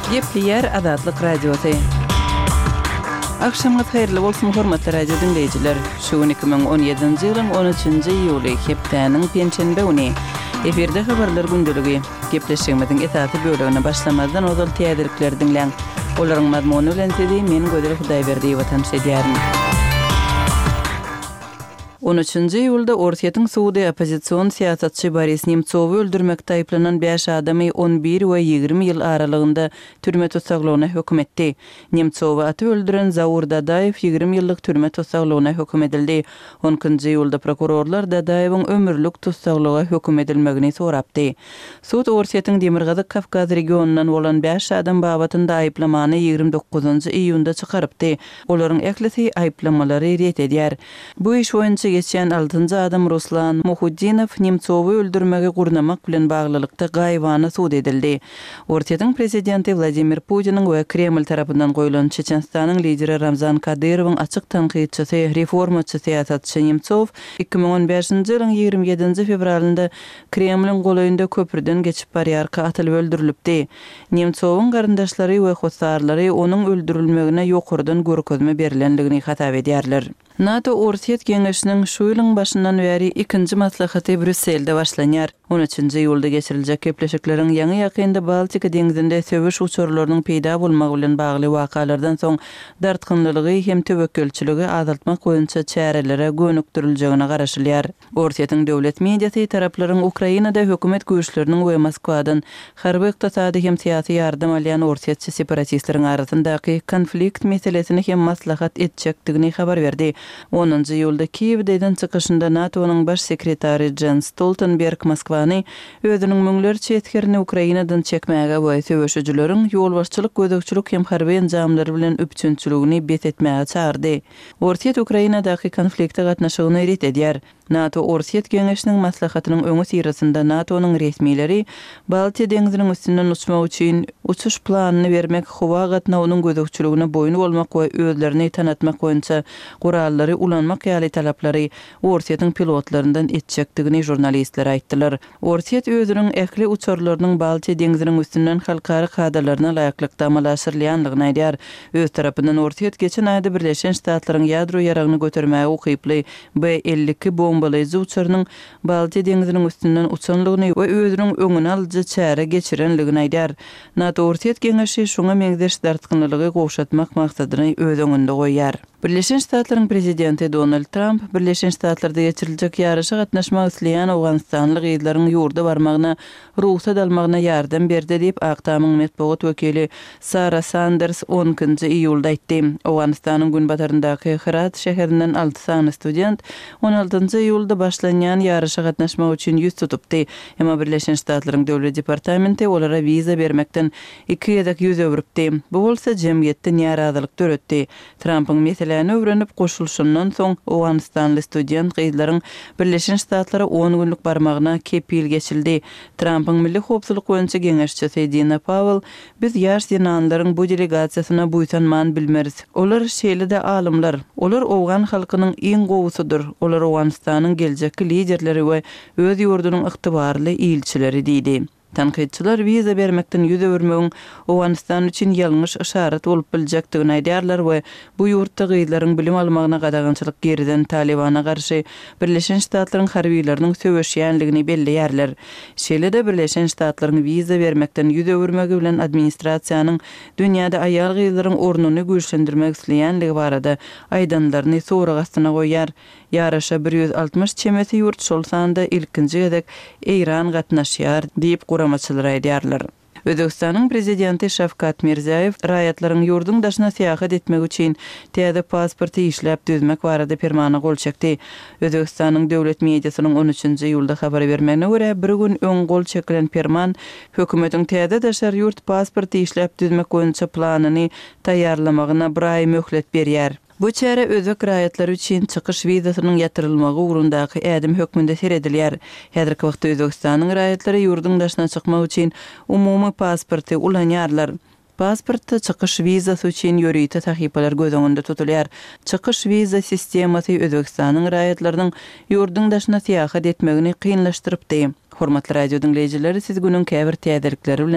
Gepleýär Azatlyk Radiosy. Agşamyňyz haýyrly bolsun, hormatly radio diňleýjiler! Şu gün 2017-nji ýylyň 13-nji iýuly, hepdäniň penşenbe güni. Efirde habarlar gündeligi. Gepleşigimiziň esasy bölegine başlamazdan ozal täzelikleri diňläň. Olaryň mazmuny bilen sizi men Gözel Hudaýberdiýewa tanyş edýärin. On üçünji iýulda Orsýetiň sudy oppozision syýasatçy Boris Nemtsowy öldürmekde aýyplanan bäş adamy on bir we 20 ýyl aralygynda türme tussaglygyna höküm etdi. Nemtsowy atyp öldüren Zaur Dadaýew 20 ýyllyk türme tussaglygyna höküm edildi. On ikinji iýulda prokurorlar Dadaýewiň ömürlik tussaglyga höküm edilmegini sorapdy. Sud Orsýetiň Demirgazyk Kawkaz regionyndan bolan bäş adam babatynda aýyplamany 29 iýunda çykarypdy. Olaryň ählisi aýyplamalary ret edýär. Bu iş boýunça geçýän altynjy adam Ruslan Muhuddinow Nemtsowy öldürmegi gurnamak bilen baglylykda gaýybana sud edildi. Orsýetiň prezidenti Wladimir Putiniň we Kreml tarapyndan goýlan Çeçenistanyň lideri Ramzan Kadyrowyň açyk tankytçysy, reformaçy syýasatçy Nemtsow 2015-nji ýylyň 27-nji fewralynda Kremliň golaýynda köprüden geçip barýarka atylyp öldürilipdi. Nemtsowyň garyndaşlary we hossarlary onuň öldürilmegine ýokardan görkezme berlendigini hasap edýärler. NATO-Orsýet geňeşiniň şu ýylyň başyndan bäri ikinji maslahaty Brýusselde başlanýar. On üçünji iýulda geçiriljek gepleşikleriň ýaňy-ýakynda Baltika deňzinde söweş uçarlarynyň peýda bolmagy bilen bagly wakalardan soň dartgynlylygy hem töwekgelçiligi azaltmak boýunça çärelere gönükdiriljegine garaşylýar. Orsýetiň döwlet mediasy taraplaryň Ukrainada hökümet güýçleriniň we Moskwadan harby-ykdysady hem syýasy ýardam alýan orsýetçi separatistleriň arasyndaky konflikt meselesini hem maslahat etjekdigini habar berdi. Onunjy iýulda Kiýewde eden çykyşynda NATO-nyň baş sekretary Jens Stoltenberg Moskwany özüniň müňlerçe esgerini Ukrainadan çekmäge we söweşijileriň ýolbaşçylyk, gözegçilik hem harby enjamlary bilen üpjünçiligini bes etmäge çagyrdy. Orsýet Ukrainadaky konflikte gatnaşygyny ret edýär. NATO-Orsýet geňeşiniň maslahatynyň öňüsyrasynda NATO-nyň resmileri Baltiýa deňziniň üstünden uçmak üçin uçuş planyny bermek, howa gatnawynyň gözegçiligine boýun bolmak we özlerini tanatmak boýunça gurallary ulanmak ýaly talaplary Orsýetiň pilotlaryndan etjekdigini žurnalistlere aýtdylar. Orsýet özüniň ähli uçarlarynyň Baltiýa deňziniň üstünden halkara kadalaryna laýyklykda amala aşyrylýandygyny aýdýar. Öz tarapyndan Orsýet geçen aýda Birleşen Ştatlaryň ýadro ýaragyny götermäge ukyply B-52 bombalaýjy uçarynyň Baltiýa deňziniň üstünden uçanlygyny we özüniň öňüni alyjy çäre geçirenligini aýdýar. NATO-Orsýet geňeşi şuňa meňzeş dartgynlylygy gowşatmak maksadyny öz öňünde goýýar. Birleşen Ştatlaryň prezidenti Donald Tramp Birleşen Ştatlarda geçiriljek ýaryşa gatnaşmak isleýän owganystanly gyzlaryň ýurda barmagyna rugsat almagyna ýardam berdi diýip, Ak Tamyň metbugat wekili Sara Sanders on ikinji iýulda aýtdy. Owganystanyň günbataryndaky Hyrat şäherinden alty sany student on altynjy iýulda başlanýan ýaryşa gatnaşmak üçin ýüz tutupdy. Emma Birleşen Ştatlaryň Döwlet departamenti olara wiza bermekden iki gezek ýüz öwrüpdi. Bu bolsa jemgyýetde närazylyk döretdi. Trampyň meseläni öwrenip goşulyşyndan soň, owganystanly student gyzlaryň Birleşen Ştatlara on günlük barmagyna kepil geçildi. Trampyň milli howpsuzlyk boýunça geňeşçisi Dina Pawel, Biz ýaş zenanlaryň bu delegasiýasyna buýsanman bilmeris. Olar şeýle-de alymlar. Olar owgan halkynyň iň gowusydyr. Olar Owganystanyň geljekki liderleri we öz ýurdunyň ygtybarly ilçileri diýdi. Tankytçylar wiza bermekden ýüz öwürmegiň Owganystan üçin ýalňyş yşarat bolup biljekdigini aýdýarlar we bu ýurtda gyzlaryň bilim almagyna gadagançylyk girizen Talybana garşy Birleşen Ştatlaryň harbylarynyň söweşýänligini belleýärler. Şeýle-de Birleşen Ştatlaryň wiza bermekden ýüz öwürmegi bilen administrasiýanyň dünýäde aýal-gyzlaryň ornuny güýçlendirmek isleýänligi barada aýdanlaryny sorag astyna goýýar. Ýaryşa 160 çemesi ýurt, şol sanda ilkinji gezek Eýran gatnaşýar diýip, guramaçylar aýdýarlar. Özbegistanyň Prezidenti Şawkat Mirziýoýew raýatlaryň ýurduň daşyna syýahat etmegi üçin täze pasporty işläp düzmek barada permana gol çekdi. Özbegistanyň döwlet mediasynyň on üçünji iýulda habar bermegine görä, bir gün öň gol çekilen perman hökümetiň täze daşary ýurt pasporty işläp düzmek boýunça planyny taýýarlamagyna bir aý möhlet berýär. Bu çärä özbek raýatlary üçin çykyş wizasynyň ýatyrylmagy ugrundaky ädim hökmünde seredilýär. Häzirki wagtda Özbegistanyň raýatlary ýurduň daşyna çykmak üçin umumy pasporty ulanýarlar. Pasportda çykyş wizasy üçin ýörite sahypalar göz öňünde tutulýar. Çykyş wiza sistemasy Özbegistanyň raýatlarynyň ýurduň daşyna syýahat etmegini kynlaşdyrypdy. Hormatly radio diňleýjiler, siz günüň käbir täzelikleri bilen.